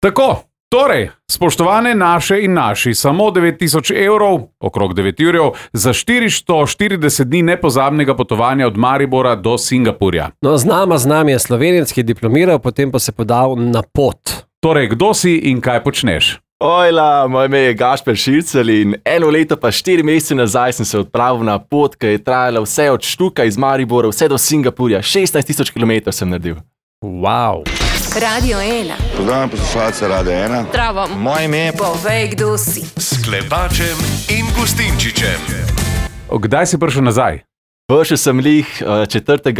Tako, torej, spoštovane naše in naši, samo 9000 evrov, okrog 9 jurjev, za 440 dni nepozabnega potovanja od Maribora do Singapurja. No, z nami je Slovenec, ki je diplomiral, potem pa se podal na pot. Torej, kdo si in kaj počneš? Ojla, moje ime je Gašper Šircelj in 1 leto pa 4 mesece nazaj sem se odpravil na pot, ki je trajala vse od Štuka iz Maribora vse do Singapurja. 16 000 km sem naredil. Wow. Radio 1. Pozdravljam poslušalce Radio 1. Zdravo. Moje ime je... Povej, kdo si. S Klepačem in Gustinčičem. Kdaj si prišel nazaj? Prišel sem lih 4.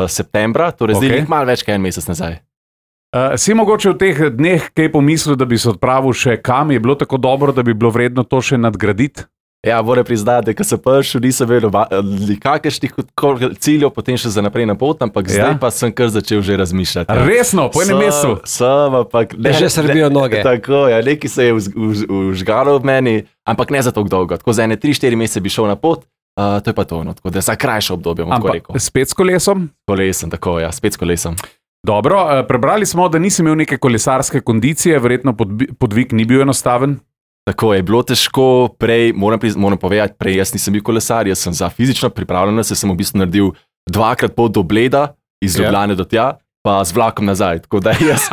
septembra, torej zdaj lih malo več kot 1 mesec nazaj. Si mogoče v teh dneh kaj pomislil, da bi se odpravil še kam? Je bilo tako dobro, da bi bilo vredno to še nadgraditi? Ja, moram priznati, da ko sem prišel, nisem vedel kakršnih ciljev, potem še za naprej na pot, ampak zdaj pa sem kar začel že razmišljati. Ja. Resno, po enem mesecu? Že srbijo noge. Tako, ja, nekaj se je užgalo v meni, ampak ne za tako dolgo. Tako za 3-4 mesece bi šel na pot, to je pa to, no, tako da za krajše obdobje, bom tako rekel. Spet s kolesom? Kolesom, tako, ja, spet s kolesom. Dobro, prebrali smo, da nisi imel neke kolesarske kondicije, verjetno podvig ni bil enostaven. Tako je bilo težko, prej, moram povedati, prej jaz nisem bil kolesar, jaz sem za fizično pripravljenost, sem v bistvu naredil 2-krat pot do Bleda, iz Ljubljane do tja, pa z vlakom nazaj. Tako da jaz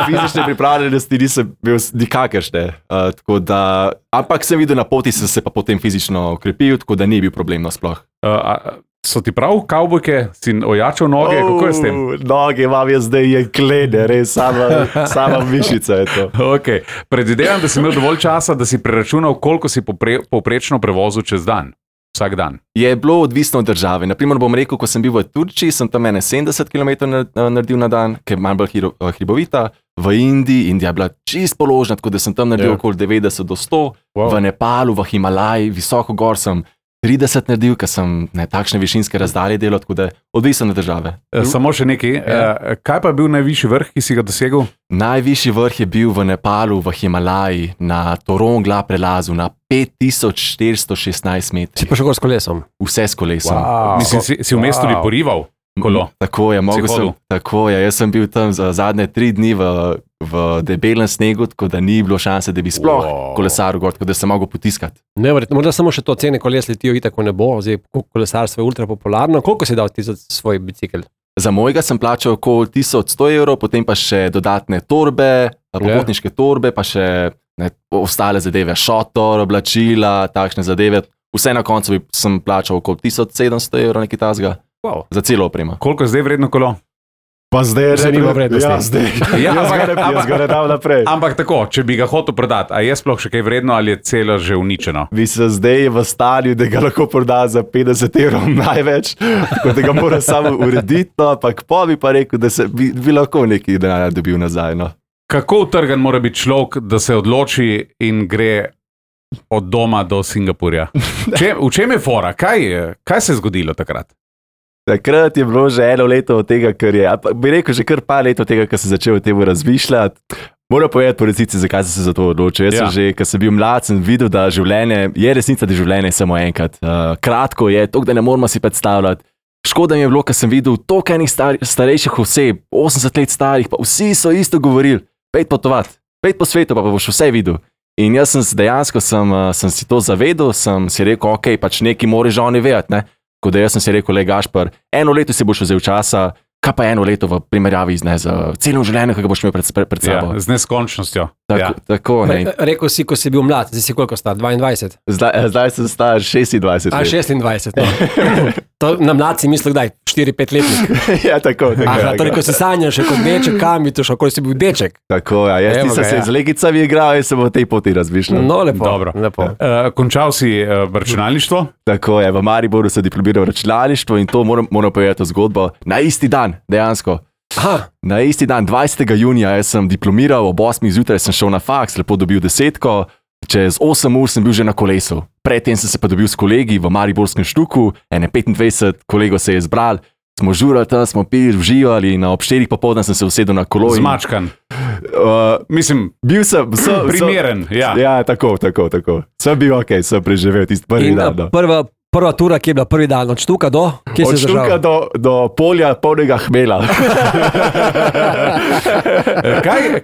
fizične pripravljenosti nisem bil nikakršne. Ampak sem videl na poti, sem se pa potem fizično okrepil, tako da ni bil problem nasploh. So ti prav kavbojke, si ojačal noge, kako je s tem? Noge imam jaz zdaj jeklene, res sama mišica je to. Okay. Predvidevam, da si imel dovolj časa, da si preračunal, koliko si povprečno prevozil čez dan, vsak dan. Je bilo odvisno od države. Naprimer bom rekel, ko sem bil v Turčiji, sem tam 70 km naredil na dan, ker je malo bolj hribovita. V Indiji, Indija je bila čist položna, tako da sem tam naredil okoli 90 do 100. Wow. V Nepalu, v Himalaji, visoko gor sem 30 naredil, ker sem takšne višinske razdalje delal, tako da odvisno od države. Samo še nekaj, kaj pa je bil najvišji vrh, ki si ga dosegel? Najvišji vrh je bil v Nepalu, v Himalaji, na Torongla prelazu, na 5416 metrov. Si pa še gor s kolesom? Vse s kolesom. Wow. Mislim, si v mestu porival kolo? Tako je, jaz sem bil tam za zadnje 3 dni v debelem snegu, tako da ni bilo šanse, da bi sploh kolesaril gor, tako da sem mogel potiskati. Neverjetno, morda samo še to, cene koles letijo itak v nebo, zdaj kolesarstvo je ultra popularno. Koliko si dal ti za svoj bicikl? Za mojega sem plačal okoli 1100 evrov, potem pa še dodatne torbe, popotniške torbe, pa še ostale zadeve, šotor, oblačila, takšne zadeve. Vse na koncu sem plačal okoli 1700 evrov, nekaj tasga. Wow. Za celo opremo. Koliko je zdaj vredno kolo? Pa zdaj je zanimivo vrednosti. Ja, zdaj. Jaz ga ne dam naprej. Ampak tako, če bi ga hotel prodati, a je sploh še kaj vredno ali je celo že uničeno? Bi se zdaj v stanju, da ga lahko proda za 50 evrov največ, tako da ga mora samo urediti, no, ampak pa bi pa rekel, da bi lahko nekaj denarja dobil nazaj. No. Kako utrgan mora biti človek, da se odloči in gre od doma do Singapurja? V čem je fora? Kaj se je zgodilo takrat? Takrat je bilo že 1 leto od tega, bi rekel že kar par let od tega, ko sem začel o tem razmišljati. Moram povedati po resnici, zakaj sem se za to odločil. Jaz sem že, ko sem bil mlad, sem videl, da življenje je resnica, da življenje je samo enkrat. Kratko je, toliko, da ne moramo si predstavljati. Škoda mi je bilo, ko sem videl toliko enih starejših oseb, 80 let starih, pa vsi so isto govorili, pejt potovati, pejt po svetu, pa boš vse videl. In jaz sem dejansko sem si to zavedel, sem si rekel, ok, pač neki moraš že oni vedeti, ne. Tako da jaz sem si rekel, Gašper, 1 leto si boš vzel časa, kaj pa 1 leto v primerjavi z celim življenjem, ki ga boš imel pred sabo. Ja, z neskončnostjo. Tako, ne. Rekel si, ko si bil mlad, zdaj si koliko star, 22? Zdaj sem star 26 let. 26, no. To na mlad si mislil kdaj, 4-5 letnik? Ja, tako. Aha, torej, ko si sanjal še kot deček, kam bi to šel, ko si bil deček? Tako, ja, jaz nisem se z legicami igral in sem v tej poti razmišljal. No, lepo. Dobro. Končal si računalništvo? Tako je, v Mariboru sem diplomiral računalništvo in to moram povedati zgodbo na isti dan, dejansko. Aha. Na isti dan, 20. junija, jaz sem diplomiral, ob 8. zjutraj sem šel na faks, lepo dobil 10, čez 8 ur sem bil že na kolesu. Predtem sem se pa dobil s kolegi v Mariborskem Štuku, 25 kolegov se je zbral, smo žurali tam, smo pili, uživali in ob 4 popoldne sem se usedel na kolo. Zmačkan. Mislim, bil sem primeren. Ja, tako. Sem bil ok, sem preživel tisti prvi dan. prva tura, ki je bila prvi dan, od Štuka do? Kje Od si Štuka zdržal? do polja polnega hmela.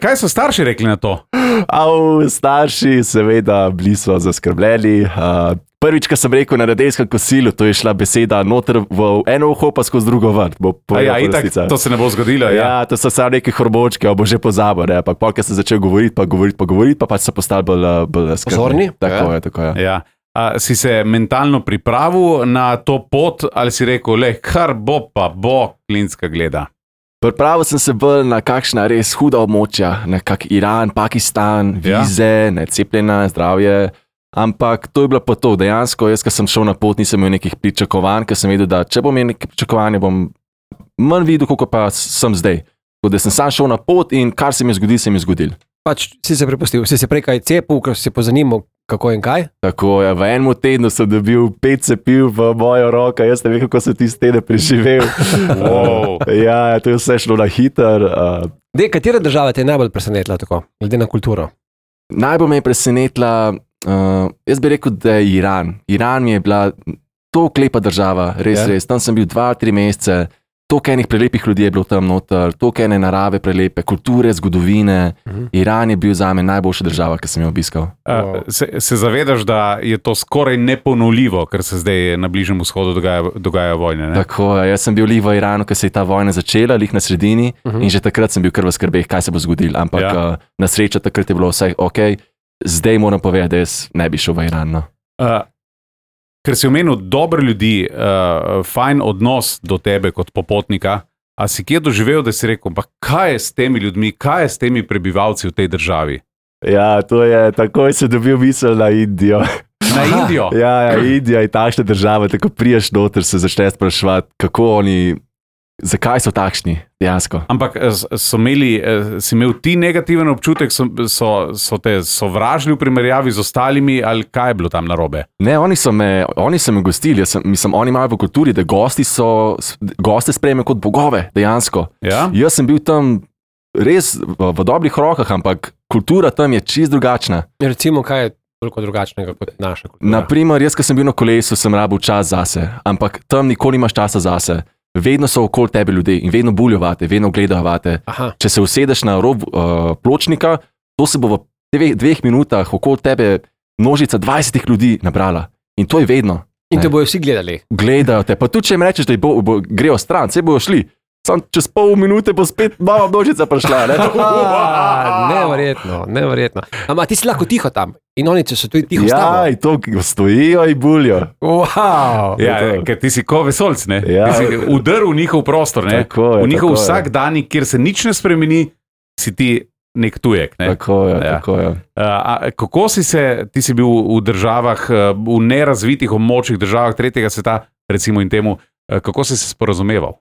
Kaj so starši rekli na to? Starši, seveda, bili so zaskrbljeni. Prvič, ko sem rekel na nedeljskem kosilu, to je šla beseda noter v eno uho, pa skozi drugo vrt. Itak, to se ne bo zgodilo. Ja, to so samo neki hormočki, bo že pozabil. Ampak polk sem začel govoriti, pa pač so postali bolj skrbni. Pozorni? Tako je. Ja. Si se mentalno pripravil na to pot ali si rekel, kar bo pa bo, Klinska gleda? Pripravil sem se bolj na kakšna res huda območja, na kak Iran, Pakistan, vize, necepljena, zdravje. Ampak to je bilo pa to. Dejansko, jaz, ko sem šel na pot, nisem imel nekih pričakovanj, ker sem vedel, da če bom imel neke pričakovanja, bom manj videl, kako pa sem zdaj. Tako da sem sam šel na pot in kar se mi je zgodil, se mi je zgodil. Pač si se prepustil, si se prej kaj cepil, ker si se pozanimal, kako in kaj? Tako je, v enem tednu sem dobil 5 cepiv v mojo roko, jaz ne vem, kako sem tisti teden preživel. Wow. Ja, to je vse šlo na hiter. Katera država te je najbolj presenetila tako, glede na kulturo? Najbolj me je presenetila, jaz bi rekel, da je Iran. Iran mi je bila toliko lepa država, res. Tam sem bil 2-3 mesece. Toliko enih prelepih ljudi je bilo tam noter, toliko ene narave prelepe, kulture, zgodovine. Iran je bil zame najboljša država, ki sem jo obiskal. Se zavedaš, da je to skoraj neponovljivo, ker se zdaj na Bližnjem vzhodu dogajajo vojne? Ne? Tako, jaz sem bil v Iranu, ko se je ta vojna začela, lih na sredini, in že takrat sem bil kar v skrbeh, kaj se bo zgodilo. Ampak na srečo takrat je bilo vse ok, zdaj moram povedati, da jaz ne bi šel v Iran. No. Ker si omenil dobre ljudi, fajn odnos do tebe kot popotnika, a si kje doživel, da si rekel, pa kaj je s temi ljudmi, kaj je s temi prebivalci v tej državi? Ja, to je, takoj se dobil misel na Indijo. Na Indijo? Ja, Indija je takšna država, tako priješ noter, se začneš spraševati, kako oni, zakaj so takšni, dejansko. Ampak si imel ti negativen občutek, so te sovražili v primerjavi z ostalimi, ali kaj je bilo tam narobe? Ne, oni so me gostili, oni imajo v kulturi, da goste sprejme kot bogove, dejansko. Ja? Jaz sem bil tam res v dobrih rokah, ampak kultura tam je čist drugačna. Recimo, kaj je toliko drugačnega kot naša kultura? Naprimer, jaz, ko sem bil na kolesu, sem rabil čas zase, ampak tam nikoli nimaš časa zase. Vedno so okoli tebe ljudje in vedno buljo vate, vedno gledajo vate. Če se usedeš na rob pločnika, to se bo v 2 minutah okoli tebe množica 20 ljudi nabrala. In to je vedno. In te bojo vsi gledali. Gledajo te, pa tudi če jim rečeš, da grejo stran, se bojo šli. Sam čez pol minute bo spet nova množica prišla. Neverjetno. Ampak ti si lahko tiho tam in oni so tudi tiho s tabo. Ja, in to stojijo in buljo. Wow. Ja, ker ti si ko vesolc, ne? Ja. Ti si udrl v njihov prostor, ne? Tako je, v njihov tako je. vsakdanji, kjer se nič ne spremeni, si ti nek tujek. Ne? Tako je, tako je. Kako ti si bil v državah, v nerazvitih območjih, državah tretjega sveta, recimo in temu, kako si se sporazumeval?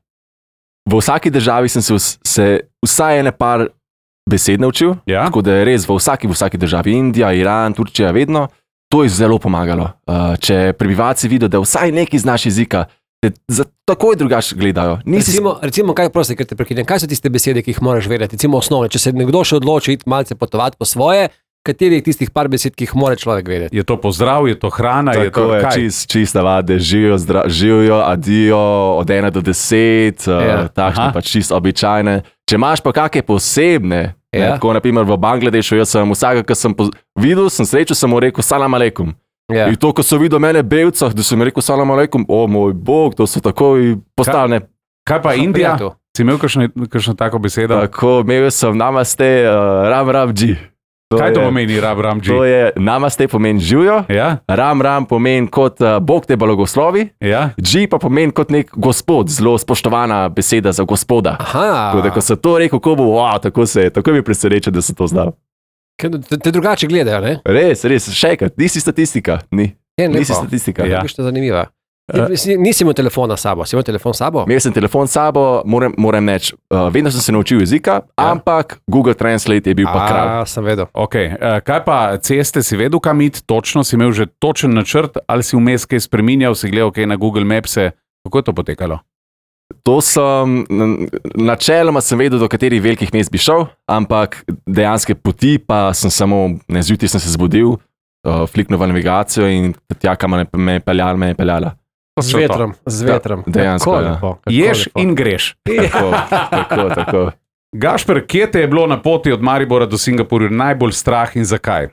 V vsaki državi sem se vsaj ene par besed naučil, tako da je res v vsaki državi, Indija, Iran, Turčija, vedno, to je zelo pomagalo. Če prebivalci vidijo, da vsaj neki znaš jezika, te takoj drugače gledajo. Recimo, kaj prosti, ker te prekinem, kaj so tiste besede, ki jih moraš vedeti, recimo osnovne, če se nekdo še odloči iti malce potovati po svoje, katerih tistih par besed, ki jih mora človek vedeti? Je to pozdrav, je to hrana, tako je to kaj? Čist navade, živijo, adijo, od 1 do 10, takšne pač čist običajne. Če imaš pa kakšne posebne, tako naprimer v Bangladešu, jaz sem vsega, ki sem videl, sem srečal, sem mu rekel salam aleikum. In to, ko so videl mene belcah, da sem mi rekel salam aleikum, o moj bog, to so takoj postavljene. Kaj pa Indija? Si imel kakšno tako besedo? Tako, imel sem namaste, ram ram dži. Kaj to pomeni ram ram dži? To je namaste pomeni živijo, ram ram pomeni kot Bog te blagoslovi, dži pa pomeni kot nek gospod, zelo spoštovana beseda za gospoda. Tako da, ko se to rekel, tako mi preseneča, da se to znal. Te drugače gledajo, ne? Res, še enkrat, nisi statistika. Nisi statistika. Kakšna zanimiva. Nisi imel telefona s sabo, si imel telefon s sabo? Imel sem telefon s sabo, moram reči, vedno sem se naučil jezika, ampak Google Translate je bil pa kralj. Sem vedel. Okay. Kaj pa ceste, si vedel, kam iti točno, si imel že točen načrt, ali si vmes kaj spreminjal, si gledal kaj na Google Mapse, kako je to potekalo? To sem, načeloma sem vedel, do katerih velikih mest bi šel, ampak dejanske poti pa sem samo, zjutraj sem se zbudil, fliknil v navigacijo in tja, kam me je peljala. Z vetrom. Dejansko, Kako ja. lepo, kako Ješ lepo. in greš. Tako. Gašper, kje te je bilo na poti od Maribora do Singapurja najbolj strah in zakaj?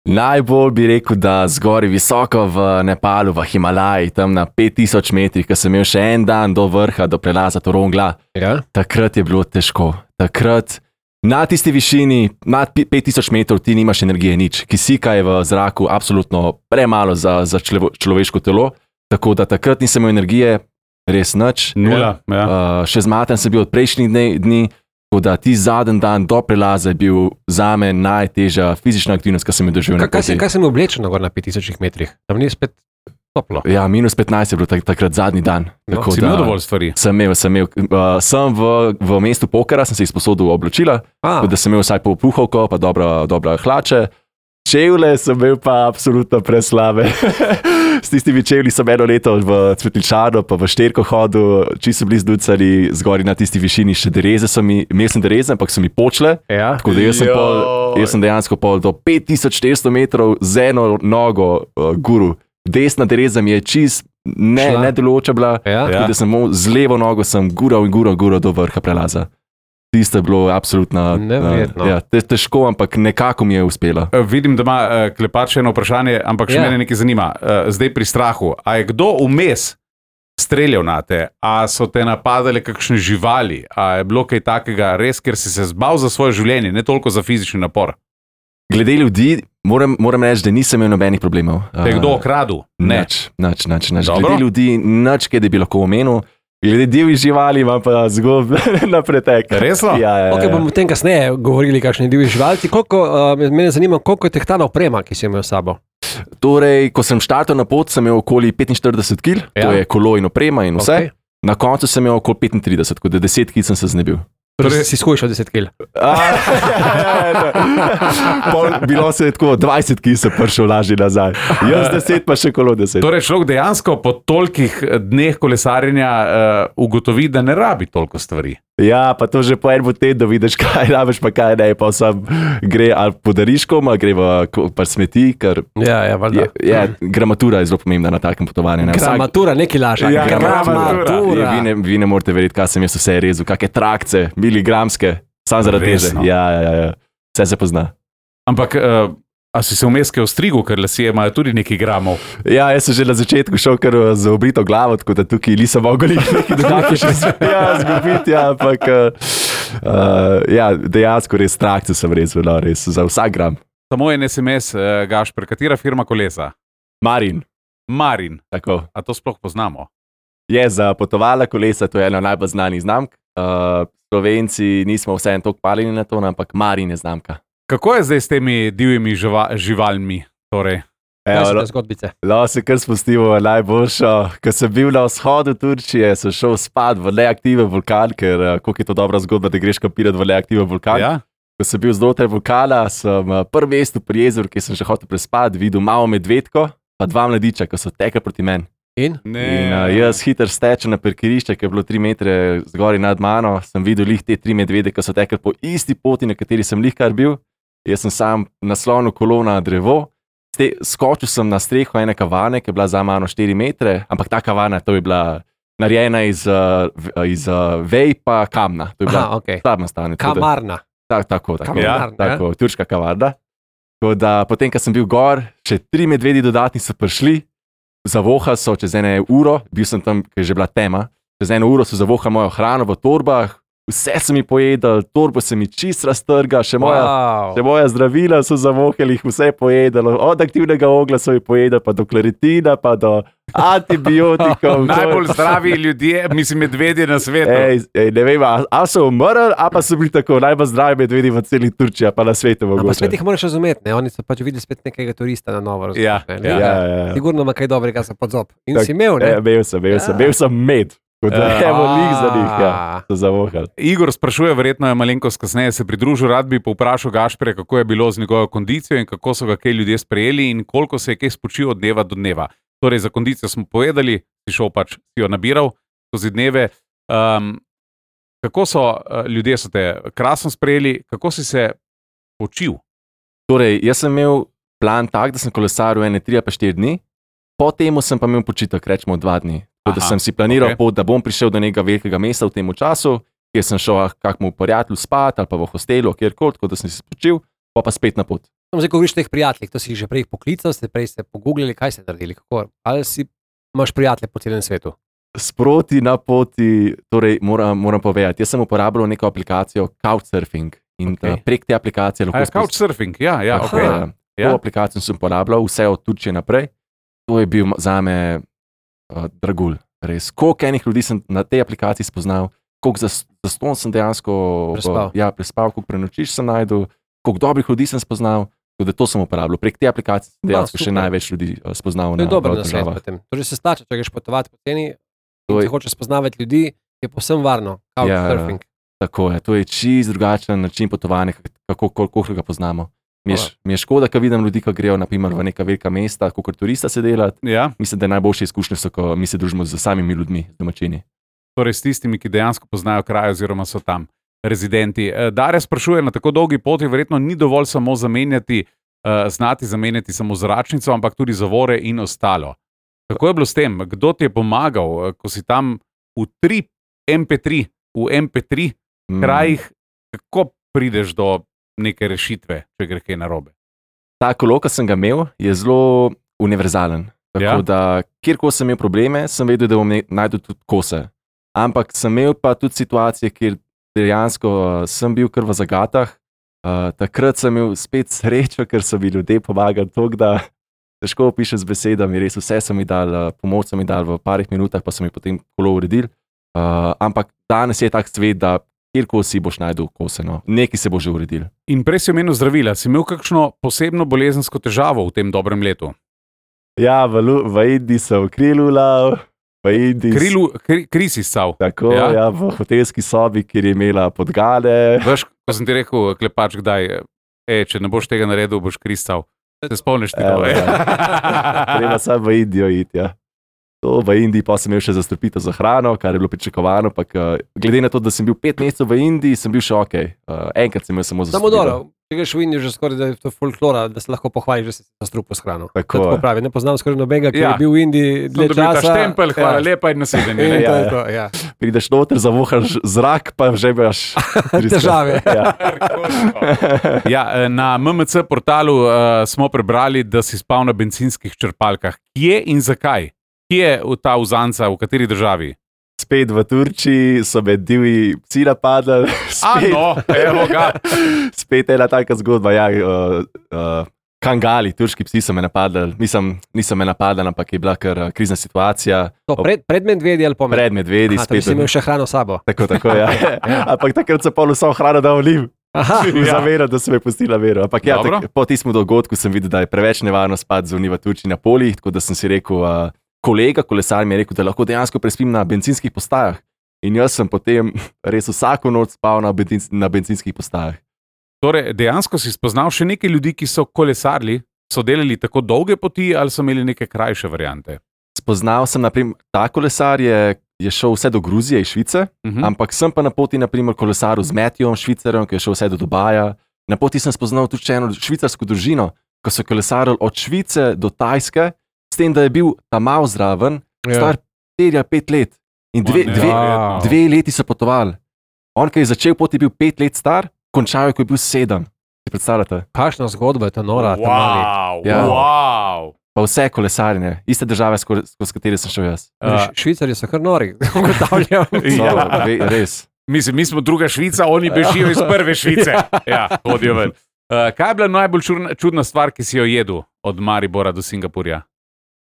Najbolj bi rekel, da zgori visoko v Nepalu, v Himalaji, tam na 5000 metrih, ko sem imel še en dan do vrha, do prelaza Torongla. Ja? Takrat je bilo težko. Takrat na tisti višini, nad 5000 metrov, ti nimaš energije, nič. Kisika je v zraku absolutno premalo za človeško telo, tako da takrat nisem imel energije, res nič. Nula. Ja. Še zmaten sem bil od prejšnjih dni, tako da ti zadnji dan do prelaza je bil zame najtežja fizična aktivnost, ki sem jo doživel na poti. Kaj sem oblečen na 5000 metrih? Tam ni spet toplo. Ja, -15 je bilo takrat zadnji dan. Tako Si imel dovolj stvari? Sem imel. Sem v mestu Pokera, sem se izposodil oblačila, da sem imel vsaj puhovko, pa dobra hlače. Čevlje sem imel pa absolutno preslabe. S tistimi čevlji sem eno leto v Cvetličanu, pa v Šterko hodil, čisto blizu Ducali, zgori na tisti višini še dereze. Imel sem dereze, ampak so mi počle. Ja. Tako da jaz sem dejansko pol do 5400 metrov z eno nogo guru. Desna dereza mi je čist nedelujoča bila, tako da sem z levo nogo sem gural do vrha prelaza. Tisto je bilo absolutno težko, ampak nekako mi je uspelo. Vidim, da ima Klepač eno vprašanje, ampak še mene nekaj zanima. Zdaj pri strahu, a je kdo vmes streljal na te, a so te napadale kakšne živali, a je bilo kaj takega res, ker si se zbal za svoje življenje, ne toliko za fizični napor? Glede ljudi, moram reči, da nisem imel nobenih problemov. Te je kdo okradil? Nič. Glede ljudi, nič, kaj da bi lahko omenil. Glede divjih živali imam pa zgodb na pretek. Resno? Ja. Ok, bomo o tem kasneje govorili, kakšni divji živalci. Mene zanima, koliko je tehtana oprema, ki si imel s sabo? Torej, ko sem štartal na pot, sem imel okoli 45 kg, to je kolo in oprema in vse. Okay. Na koncu sem imel okoli 35, tako da 10 kg sem se znebil. Torej si skušal 10 kg. Bilo se je tako, 20 kg sem prišel lažje nazaj. Jaz 10, pa še kolo 10. Torej, človek dejansko po tolikih dneh kolesarjenja ugotovi, da ne rabi toliko stvari. Ja, pa to že po enem tednu vidiš, kaj rabiš, pa kaj ne. Pa sam gre ali po dariškom, ali gre v smeti, ker gramatura je zelo pomembna na takem potovanju. Gramatura, nekaj lažje. Ja, gramatura. Vi ne morete verjeti, kaj sem jaz vse rezal, kakšne trakce, miligramske, samo zaradi teže. Ja. Vse se pozna. Ampak, a si se vmes kaj ostrigel, ker lasje imajo tudi nekaj gramov? Ja, jaz sem že na začetku šel kar z obrito glavo, tako da tukaj nisem mogel nekaj dodatki še zgubiti, ampak dejansko res trakce sem rezal, res za vsak gram. Samo en SMS, Gašper, katera firma kolesa? Marin. Tako. A to sploh poznamo? Je za potovalna kolesa, to je ena najbolj znanih znamk. Slovenci nismo vseeno toliko paljeni na to, ampak Marin je znamka. Kako je zdaj s temi divjimi živalmi? Torej? Zgodbice. Se kar spustimo najboljšo. Ko sem bil na vzhodu Turčije, sem šel spat v neaktiven vulkan, ker koliko je to dobra zgodba, da greš kampirati v neaktiven vulkan. Ja? Ko sem bil znotraj vulkana, sem prvi mestu pri jezeru, ki sem že hotel prespati, videl malo medvedko, pa dva mladiča, ki so tekli proti meni. In jaz hiter stečem na parkirišče, ki je bilo 3 metre zgori nad mano, sem videl lih te 3 medvede, ki so tekli po isti poti, na kateri sem lihkar bil. Jaz sem sam naslonil kolo na drevo, skočil sem na streho ene kavane, ki je bila za mano 4 metre, ampak ta kavana, to je bila narejena iz vej pa kamna. To je bila tam nastavljena. Kamarna. Tako, turška kavarna. Tako da potem, ko sem bil gor, še 3 medvedi dodatni so prišli, zavohali so čez eno uro, bil sem tam, ker je že bila tema, čez 1 uro so zavohali mojo hrano v torbah, vse so mi pojedali, torbo se mi čist raztrga, še moja zdravila so zavohali, jih vse pojedali, od aktivnega ogla so mi pojedali, pa do klaritina, pa do antibiotikov. Najbolj zdravi ljudje, mislim, medvedje na svetu. Ne vem, ali so umrli, ali pa so bili tako najbolj zdravi medvedi v celi Turčiji, pa na svetu mogoče. Pa spet jih moraš razumeti, ne? Oni so pač videli spet nekega turista na novo. Ja. Sigurno ima kaj dobrega za podzob. In si imel, ne? Imel sem med. Kot da je velik za njih, so zavohali. Igor sprašuje, verjetno je malenkost kasneje se pridružil, rad bi povprašal Gašperja, kako je bilo z njegovo kondicijo in kako so ga kaj ljudje sprejeli in koliko se je kaj spočil od dneva do dneva. Torej, za kondicijo smo povedali, si šel pač, si jo nabiral skozi dneve. Kako so ljudje so te krasno sprejeli, kako si se počil? Torej, jaz sem imel plan tak, da sem kolesaril 3 ali 4 dni. Potem sem pa imel počitek, rečemo 2 dni. Tako da sem si planiral pot, da bom prišel do nekega velikega mesta v tem času, kjer sem šel kakmu prijatelju spat ali pa v hostelu, kjerkoli, tako da sem si spočil, pa spet na pot. Zdaj, ko govoriš teh prijateljih, to si že prej poklical, prej ste pogooglili, kaj ste naredili, kako? Ali imaš prijatelje po celem svetu? Sproti na poti, torej moram povedati, jaz sem uporabljal neko aplikacijo Couchsurfing in prek te aplikacije lahko... Couchsurfing, ja, ok. To aplikacijo sem uporabljal, vse od Turčije naprej. To je bil zame dragulj, res. Koliko enih ljudi sem na tej aplikaciji spoznal, koliko zastonj sem dejansko prespal, koliko prenočiš sem najdel, koliko dobrih ljudi sem spoznal, tako da to sem uporabljal. Prek te aplikacije sem dejansko še največ ljudi spoznal. To je dober nasvet potem. To že se splača, če greš potovati po ceni in če hočeš spoznavati ljudi, je povsem varno. Couchsurfing. Tako je, to je čist drugačen način potovanja, koliko ga poznamo. Mi je škoda, ko vidim ljudi, ki grejo naprimer v neka velika mesta, kot turista se delati. Ja. Mislim, da najboljše izkušnje so, ko mi se družimo z samimi ljudmi, z domačini. Torej s tistimi, ki dejansko poznajo kraj oziroma so tam rezidenti. Darja sprašuje, na tako dolgi poti verjetno ni dovolj samo znati zamenjati samo zračnico, ampak tudi zavore in ostalo. Kako je bilo s tem? Kdo ti je pomagal, ko si tam v MP3 krajih, kako prideš do neke rešitve, če gre kaj narobe? Ta kolo, ki sem ga imel, je zelo univerzalen. Tako da, kjerkoli sem imel probleme, sem vedel, da bom najdel tudi kose. Ampak sem imel pa tudi situacije, kjer dejansko sem bil kar v zagatah. Takrat sem imel spet srečo, ker so mi ljudje pomagali toliko, da težko opišem z besedami. Res vse so mi dali, pomoč so mi dali v parih minutah, pa so mi potem kolo uredili. Ampak danes je tak svet, da kjerkoli si boš najdel kose, no. Nekaj se bo že uredil. In prej si omenil zdravila. Si imel kakšno posebno bolezensko težavo v tem dobrem letu? Ja, v Indiji sem krilu lav. Kri si stal. Tako, ja, v hotelski sobi, kjer je imela podgane. Veš, ko sem ti rekel, klepač, kdaj, če ne boš tega naredil, boš kri stal. Se spomniš ti to? Treba sam v Indijo iti, ja. To v Indiji pa sem imel še zastrupitev za hrano, kar je bilo pričakovano, pa glede na to, da sem bil 5 mesecev v Indiji, sem bil še ok. Enkrat sem imel samo zastrupitev. Samo dobro, če greš v Indijo že skoraj, da je to folklora, da se lahko pohvališ, da si zastrupil s hrano. Tako pravi, ne poznam skoraj nobenega, ki je bil v Indiji dlje časa. Sem dobil ta štempelj, hvala lepa in nasvidenje. Prideš noter, zavohaš zrak, pa že imaš težave. Na MMC portalu smo prebrali, da si spal na bencinskih črpalkah. Kje in zakaj? Kje je ta uzanca, v kateri državi? Spet v Turčiji so med divji psi napadli. Evo ga. Spet ena taka zgodba, Kangali, turški psi so me napadli. Niso me napadli, ampak je bila kar krizna situacija. To pred medvedi ali po medvedi? Pred medvedi. Spet si imel še hrano s sabo. Tako, ja. Ampak takrat so pol vso hrano dal vlim. Zavero, da so me pustila vero. Ampak po tistem dogodku sem videl, da je preveč nevarno spati zunaj v Turčiji na poljih, tako da sem si rekel, kolega kolesar mi je rekel, da lahko dejansko prespim na bencinskih postajah. In jaz sem potem res vsako noč spal na bencinskih postajah. Torej, dejansko si spoznal še nekaj ljudi, ki so kolesarili, so delali tako dolge poti ali so imeli neke krajše variante? Spoznal sem, naprimer, ta kolesar je šel vse do Gruzije iz Švice, ampak sem pa na poti, naprimer, kolesaril z Matthewom Švicarjem, ki je šel vse do Dubaja. Na poti sem spoznal tudi eno švicarsko družino, ko so kolesarili od Švice do Tajske, s tem, da je bil tam mal zraven, star 4 ali 5 let. In dve leti so potovali. On, ki je začel poti, je bil 5 let star, končal je, ko je bil 7. Si predstavljate? Kakšna zgodba je to nora? Wow. Pa vse kolesarjenje, iste države, skozi katere sem šel jaz. Švicarji so kar nori, ugotavljam. Res. Mislim, mi smo druga Švica, oni bežijo iz prve Švice. Ja, hodijo ven. Kaj je bila najbolj čudna stvar, ki si jo jedel od Maribora do Singapurja?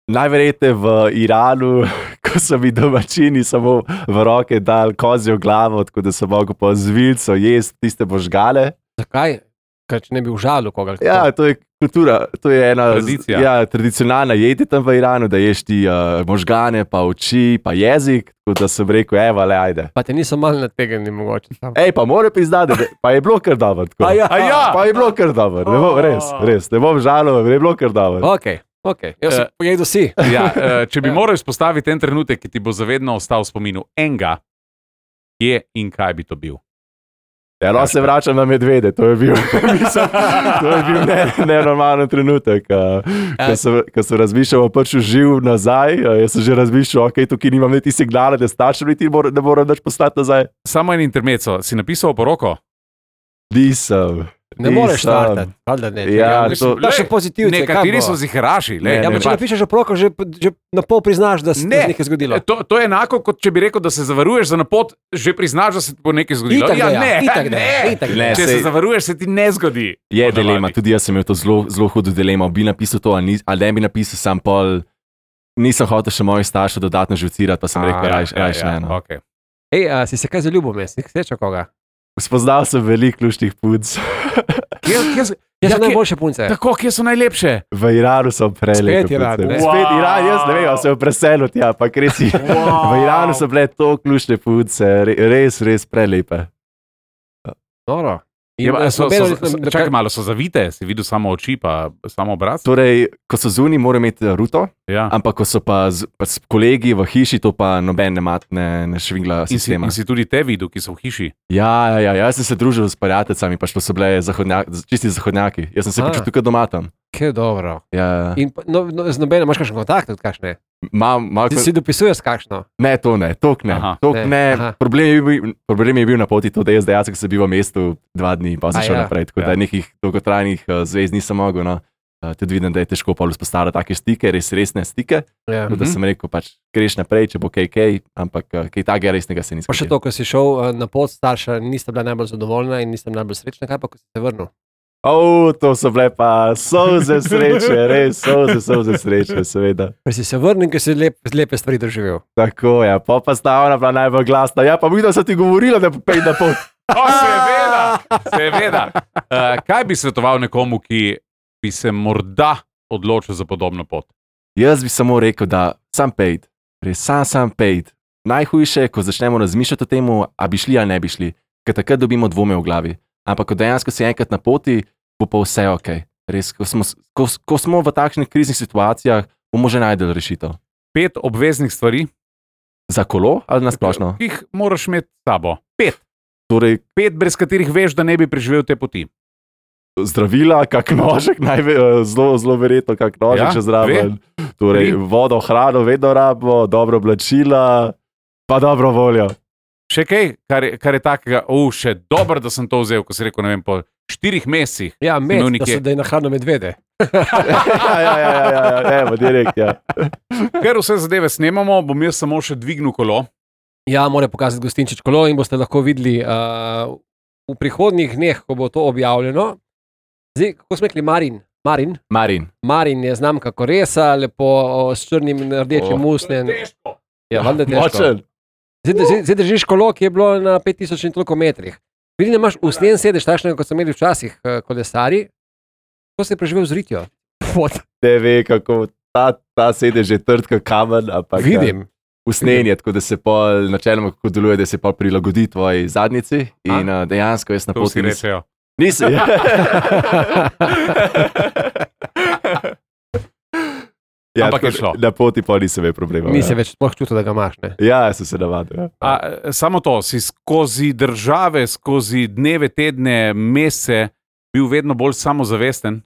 Najverjetneje v Iranu, ko so mi domačini samo v roke dali kozjo glavo, tako da sem mogel po zvilcu jesti tiste možgane. Zakaj? Kaj če ne bi užalil koga? Ja, to je kultura, to je ena tradicionalna jedi tam v Iranu, da ješ ti možgane, pa oči, pa jezik, tako da sem rekel, evo, le, ajde. Pa te niso malo nategnili mogoče tam. Pa moram priznati, pa je bilo kar dobro. Pa je bilo kar dobro, res, ne bom žalil, je bilo kar dobro. Ok, jaz sem pojedel si. Če bi moral izpostaviti en trenutek, ki ti bo zavedno ostal v spominu enega, kje in kaj bi to bil? Ja, no, se vračam na medvede, to je bil, nenormalen trenutek. Ko sem razmišljal, pač živ nazaj, jaz sem že razmišljal, ok, tukaj nimam niti signala, da staršem niti ne moram več poslati nazaj. Samo en intermezzo, si napisal poroko? Nisem. Ne moreš startati. Ja, to še pozitivno. Nekateri so zihraši. Če napišeš poroko, že na pol priznaš, da se nekaj zgodilo. To je enako, kot če bi rekel, da se zavaruješ za napot, že priznaš, da se ti bo nekaj zgodilo. Ne, če se zavaruješ, se ti ne zgodi. Je dilema, tudi jaz sem imel to zelo hudo dilemo. Bi napisal to, ali ne bi napisal sam pol. Nisem hotel še mojih staršev dodatno živcirati, pa sem rekel, rajš ne. Okay. Si se kaj zaljubil, si srečal koga? Spoznal sem veliko luštnih punc. Kje so najboljše punce? Tako, kje so najlepše? V Iranu so prelepe. Spet Iran. Spet Iran, jaz ne vem, se je preselil tja, pa res je. V Iranu so bile to luštne punce, res prelepe. Noro. Čakaj malo, so zavite, si videl samo oči, pa samo obraz? Torej, ko so zunaj, mora imeti ruto, ampak ko so pa kolegi v hiši, to pa noben ne švingla sistema. In si tudi te videl, ki so v hiši? Ja, jaz sem se družil s prijateljicami, pa so bile čisti zahodnjaki. Jaz sem se počutil tukaj doma tam. Kaj dobro. Ja. In z nobenem imaš kakšen kontakt, kakšne? Ti si dopisuješ kakšno? Ne, to ne. Problem je bil na poti to, da jaz dejansko sem bil v mestu 2 dni in pa sem šel naprej, tako da nekih dolgotrajnih zvez nisem mogel. No. Tudi vidim, da je težko vzpostaviti take stike, resne stike. Da sem rekel, pač greš naprej, če bo kaj, ampak kaj takega resnega se nisem. Pa še to, ko si šel na pot, starša nista bila najbolj zadovoljna in nista najbolj srečna, kaj pa, ko si se vrnil? To so bile pa solze sreče, res solze sreče, seveda. Pa si se vrnil, ker si lepe stvari doživel. Tako, ja, pa stavna bila najbolj glasna. Ja, pa videl sem ti govorila, da pej na pot. Seveda. Kaj bi svetoval nekomu, ki bi se morda odločil za podobno pot? Jaz bi samo rekel, da sam pejt, res sam pejt. Najhujše je, ko začnemo razmišljati o tem, a bi šli ali ne bi šli, ker takrat dobimo dvome v glavi. Ampak ko dejansko si enkrat na poti, bo pa vse ok. Res, ko smo v takšnih kriznih situacijah, bomo že najdeli rešitev. 5 obveznih stvari. Za kolo ali nasplošno? Ki jih moraš imeti s sabo. 5. Torej, 5, brez katerih veš, da ne bi preživel te poti. Zdravila, kak nožek, zelo verjetno kak nožek, če zraven. Torej, vodo, hrano vedno rabimo, dobro oblačila, pa dobro voljo. Še kaj, kar je takega, še dobro, da sem to vzel, ko si rekel, ne vem, po 4 mesecih. Ja, da je nahrano medvede. Evo, direkt, ja. Ker vse zadeve snemamo, bom jaz samo še dvignil kolo. Ja, mora pokazati Gostinčič kolo in boste lahko videli v prihodnjih dneh, ko bo to objavljeno. Zdaj, kako smo rekli, Marin je znamka Koresa, lepo s črnim in rdečim usnjem. Ja, valjda težko. Zdaj držiš kolo, ki je bilo na 5000 in toliko metrih. Vidim, da imaš usnjen sedež, takšnega, kot so imeli včasih kolesari. Kako si preživel z ritjo? Te ve, kako ta sedež je trd kot kamen. Vidim. Usnjen je, tako da se pol, načeloma kako deluje, da se pol prilagodi tvoji zadnjici. In dejansko jaz na poti... To si rečejo. Nisem. Ja, ampak je šlo. Na poti pa nisem imel problema. Nisi več sploh čutil, da ga imaš, ne? Ja, sem se navadil. Samo to, si skozi države, skozi dneve, tedne, mesece bil vedno bolj samozavesten?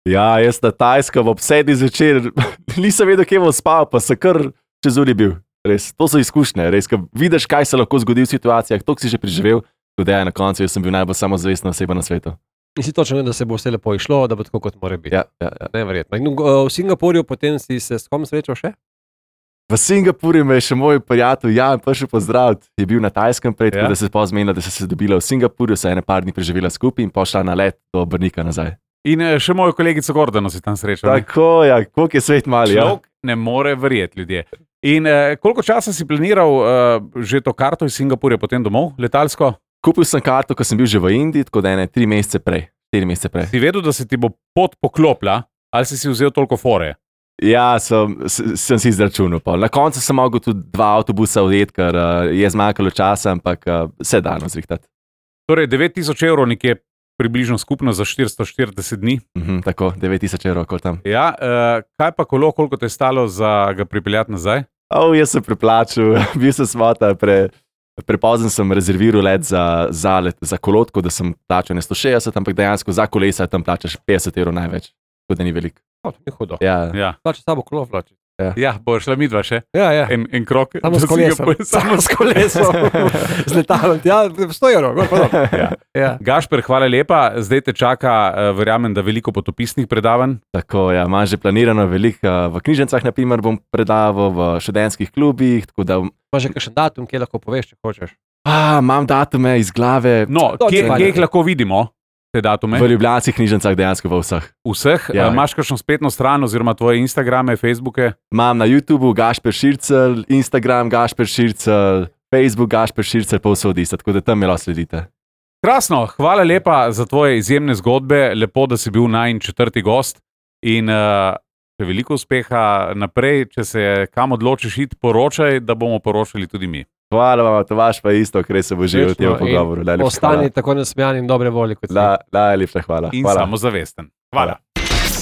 Ja, jaz na Tajskem ob 7 zvečer nisem vedel, kje bom spal, pa sem kar čez uri bil. Res, to so izkušnje, res, ko vidiš, kaj se lahko zgodi v situacijah, to si že preživel, tudi na koncu jaz sem bil najbolj samozavestna oseba na svetu. In si točno, da se bo vse lepo išlo, da bo tako, kot mora biti. Ja. Neverjetno. In v Singapurju potem si se s kom srečal še? V Singapurju me je še moj prijatelj Jan prišel pozdraviti. Je bil na Tajskem prej, tako da se pozmenila, da se dobila v Singapurju, se je par dni preživela skupaj in pošla na let do Brnika nazaj. In še mojo kolegico Gordano si tam srečal. Tako, ja, koliko je svet mali. Človek ne more verjeti, ljudje. In koliko časa si planiral že to karto iz Singapurja potem domov, letalsko? Kupil sem karto, ko sem bil že v Indiji, tako da 4 mesece prej. Si vedel, da se ti bo pot poklopila, ali si vzel toliko fore? Ja, sem si izračunal. Na koncu sem mogel tudi 2 avtobusa odjeti, ker je zmanjkalo časa, ampak vse dano zrihtati. Torej 9000 evrov nekje približno skupno za 440 dni. Tako, 9000 evrov, kot tam. Ja, kaj pa kolo, koliko te je stalo za ga pripeljati nazaj? Jaz sem preplačil, bil sem smota Prepozen sem rezerviral let za kolotko, da sem plačal ne 160, ampak dejansko za kolesa tam plačaš 50 € največ, tako da ni veliko. To ni hudo. Ja. Plača sabo kolo vlači. Ja, bo šla midva še. Ja. En krok. Samo s kolesom. Samo s kolesom. Z letalom. Ja, 100 €. Gor, pa dol. Ja. Gašper, hvala lepa. Zdaj te čaka, verjamem, da veliko potopisnih predavanj. Tako, ja, imam že planirano veliko. V knjižnicah, na primer, bom predaval, v študentskih klubih, tako da... Pa že kakšen datum, kje lahko poveš, če hočeš? Imam datume iz glave. No, kje jih lahko vidimo? Te datume? V ljubljanskih knjižnicah, dejansko v vseh. Vseh? Ja. Imaš kakšno spletno stran oziroma tvoje Instagrame, Facebooke? Imam na YouTubeu Gašper Šircelj, Instagram Gašper Šircelj, Facebook Gašper Šircelj, povsod isto, tako da tam me lahko sledite. Krasno, hvala lepa za tvoje izjemne zgodbe, lepo, da si bil najin 4. gost in veliko uspeha naprej, če se kam odločiš iti, poročaj, da bomo poročali tudi mi. Hvala vam, Tomaž, pa isto, ker se bo živel v tem pogovoru. Ostani tako nasmejan in dobre volje kot ti. Najlepša hvala. In samozavesten. Hvala.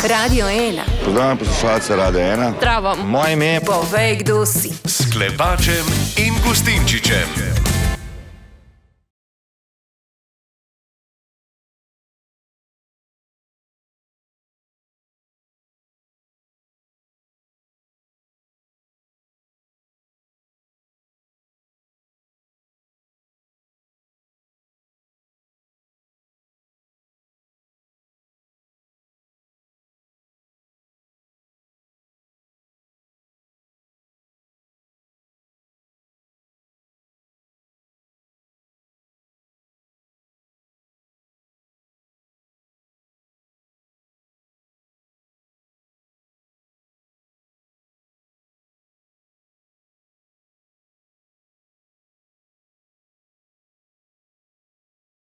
Radio 1. Pozdravljam poslušalce Radio 1. Zdravo. Moje ime je Povej, kdo si. S Klepačem in Gustinčičem.